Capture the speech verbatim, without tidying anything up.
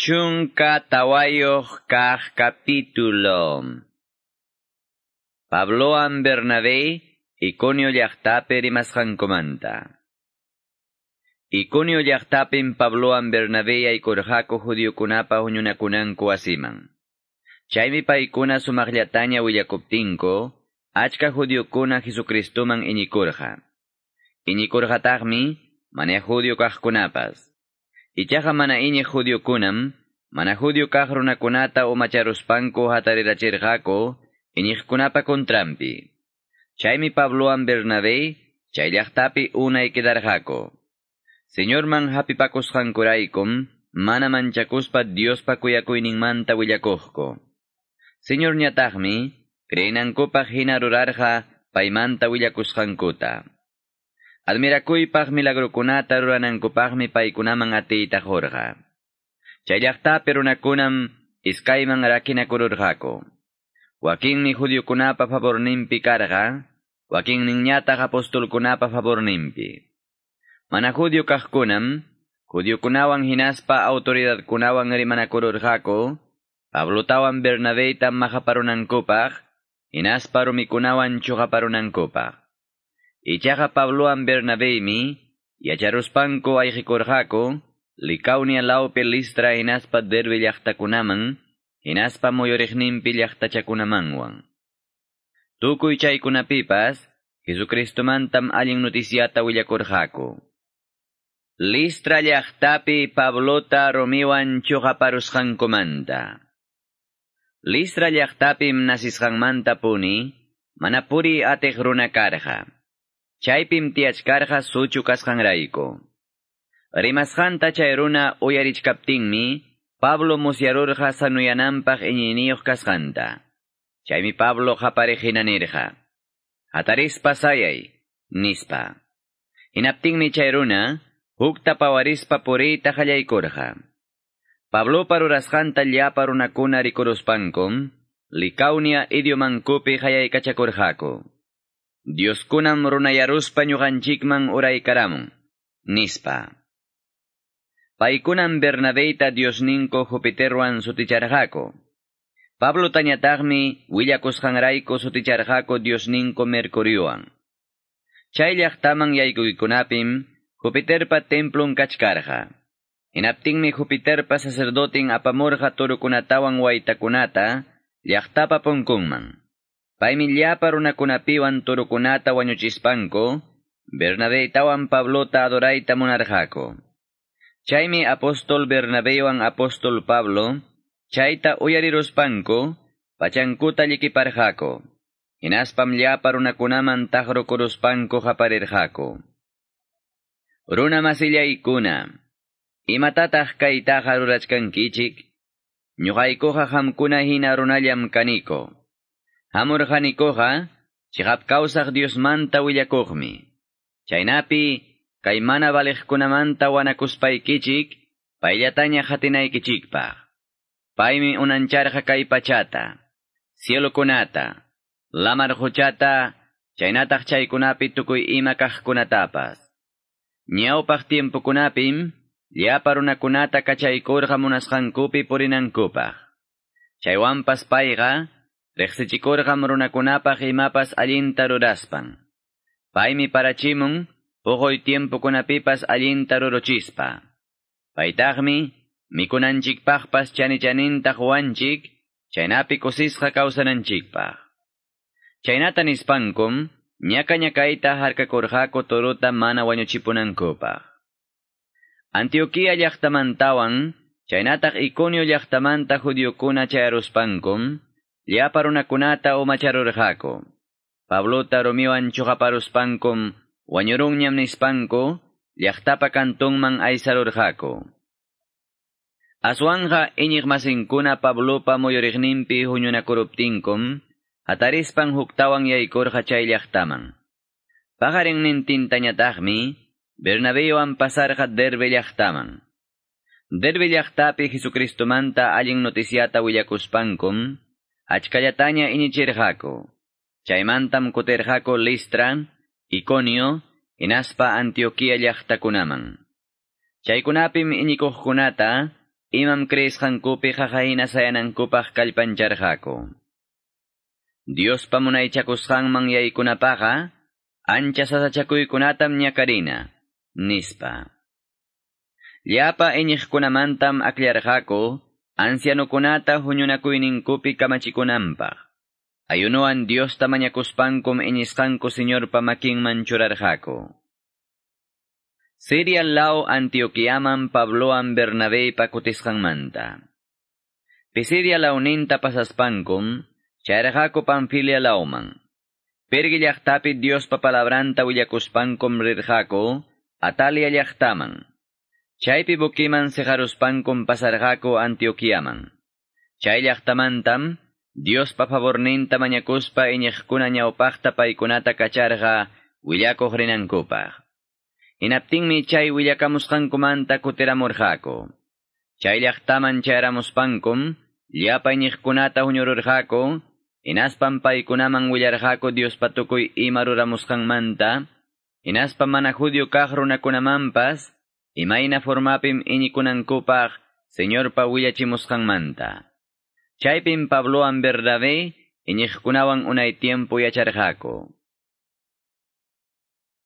Chunka tawayuq kaq capítulo. Pablowan Bernabé Iconio llaqtapi rimasqankumanta. Iconio llaqtapim Pablowan Bernabé yaykurqaku judiokunapa huñunakunanku wasiman. Chaymi paykuna sumaqllataña willakuptinku, achka judiokuna Jesucristoman iñikurqa. Iñikurqataqmi mana judio kaqkunapas. Ichaqa mana iñiq judiokunam, mana judio kaq runakunata umacharuspanku hatarirachirqaku iñiqkunapa kontranpi. Chaymi Pablowan Bernabé chay llaqtapi unay quedarqaku. Señorman hapipakusqankuraykum mana manchakuspa Diospa kuyakuyninmanta willakuqku. Señorñataqmi creenankupaq hina rurarqa paymanta willakusqankuta. Admirakuypaq milagrokunata ruranankupaqmi paykunaman atiyta qurqa. Chay llaqtapi runakunam iskayman rakinakururqaku. Wakinmi judiokunapa favorninpi karqa, wakinninñataq apostolkunapa favorninpi. Mana judio kaqkunam, judiokunawan hinaspa autoridadkunawan rimanakururqaku, Pablotawan Bernabeyta maqaparunankupaq, hinaspa rumikunawan chuqaparunankupaq. Ichaqa Pablowan Bernabeymi yacharuspanku ayqikurqaku, Licaonia lawpi Listra hinaspa Derbe llaqtakunaman, hinaspa muyuriqninpi llaqtachakunamanwan. Tukuy chaykunapipas, Jesucristomantam allin noticiata willakurqaku. Listra llaqtapi Pablota rumiwan chuqaparusqankumanta. Listra llaqtapim nasisqanmanta puni, mana puri atiq runa karqa. Chaypim tiyachkarqa suchu kasqanrayku. Rimasqanta chay runa uyarichkaptinmi, Pablo musyarurqa sanuyananpaq iñiyniyuq kasqanta. Chaymi Pablo qapariq hina nirqa: "Hatarispa sayay", nispa. Hinaptinmi chay runa hukta pawarispa puriyta qallaykurqa. Pablopa rurasqanta llapa runakuna rikuruspankum, Licaonia idiomankupi qayaykachakurqaku. "Dioskunam runayaruspa ñuqanchikman uraykaramun", nispa. Paykunam Bernabeyta diosninku Jupiterwan suticharqaku. Pablotañataqmi willakusqanrayku suticharqaku diosninku Mercuriowan. Chay llaqtaman yaykuykunapim Jupiterpa templon kachkarqa. Hinaptinmi Jupiterpa sacerdotin apamurqa turukunatawan waytakunata llaqtapa punkunman. Paymi llapa runakunapiwan turukunata wañuchispanku, Bernabeytawan Pablota adorayta munarqaku. Chaymi apóstol Bernabeywan apóstol Pablo, chayta uyariruspanku, pachankuta llikiparqaku. Hinaspam llapa runakunaman taqrukuruspanku qaparirqaku: "Runa masillaykuna, imatataq kaytaqa rurachkankichik? Ñuqaykuqa qamkuna hina runallam kaniko. Hamurqanikuqa chiqap kawsaq Diosmanta willakuqmi. Chaynapi kay mana valiqkunamanta wanakuspaykichik, payllataña qatinaykichikpaq. Paymi unancharqa kay pachata, cielokunata, lamar quchata, chaynataq chaykunapi tukuy ima kaqkunatapas. Ñawpaq tiempokunapim llapa runakunata kachaykurqa munasqankupi purinankupaq. Chaywanpas payqa riqsichikurqam runakunapaq imapas allinta ruraspan. Paymi parachimun puquy tiempokunapipas allinta ruruchispa. Paytaqmi mikunanchikpaqpas chani-chaninta quwanchik, chaynapi kusisqa kawsananchikpaq." Chaynata nispankum, ñaka-ñakayta harkakurqaku turuta mana wañuchipunankupaq. Antioquia llaqtamantawan, chaynataq Iconio llaqtamanta judiokuna chayaruspankum, llapa runakunata umacharurqaku. Pablota rumiwan chuqaparuspankum, wañurunñam nispanku, llaqtapa kantunman aysarurqaku. Aswanja iñiqmasinkuna Pablopa muyuriqninpi huñunakuruptinkum, hatarispan huktawan yaykurqa chay llaqtaman. Paqarinnintintañataqmi, Bernabeywan pasarqa Derbe llaqtaman. Derbe llaqtapi Jesucristomanta allin noticiata willakuspankum, achkallataña iñichirqaku. Chaymantam kutirqaku Listra, Iconio, hinaspa Antioquia llaqtakunaman. Chaykunapim iñikuqkunata imam creesqankupi qaqahina sayanankupaq kallpancharqaku. Diospa munaychakusqanman yaykunapaqa, ancha sasachakuykunatam ñakarina, nispa. Llapa iñiqkunamantam akllarqaku, ancianukunata huñunakuyninkupi kamachikunanpaq. Ayunoan Diosta mañakuspankum iñisqanku Señorpa makinman churarqaku. Siria law Antioquiaman Pabloan Bernabépa kutisqanmanta. Pisidia lawninta pasaspankum, chayraqaku Panfilia lawman. Perge llaqtapi Diospa palabranta willakuspankum rirqaku, Atalia llaqtaman. Chaypi bukiman sejaruspankum pasarqaku Antioquiaman. Chay llaqtamantam, Diospa favorninta mañakuspa iñiqkuna ñawpaqta paykunata kacharqa willakuq rinankupaq. Hinaptinmi chay willakamusqankumanta kutiramurqaku. Chay llaqtaman chayaramuspankum, llapa iñiqkunata huñururqaku, hinaspam paykunaman willarqaku Diospa tukuy ima ruramusqanmanta, hinaspa mana judío kaq runakunamanpas, imayna formapim iñikunankupaq Señorpa willachimusqanmanta. Chaypim Pablowan Bernabé iñiqkunawan unay tiempo yacharqaku.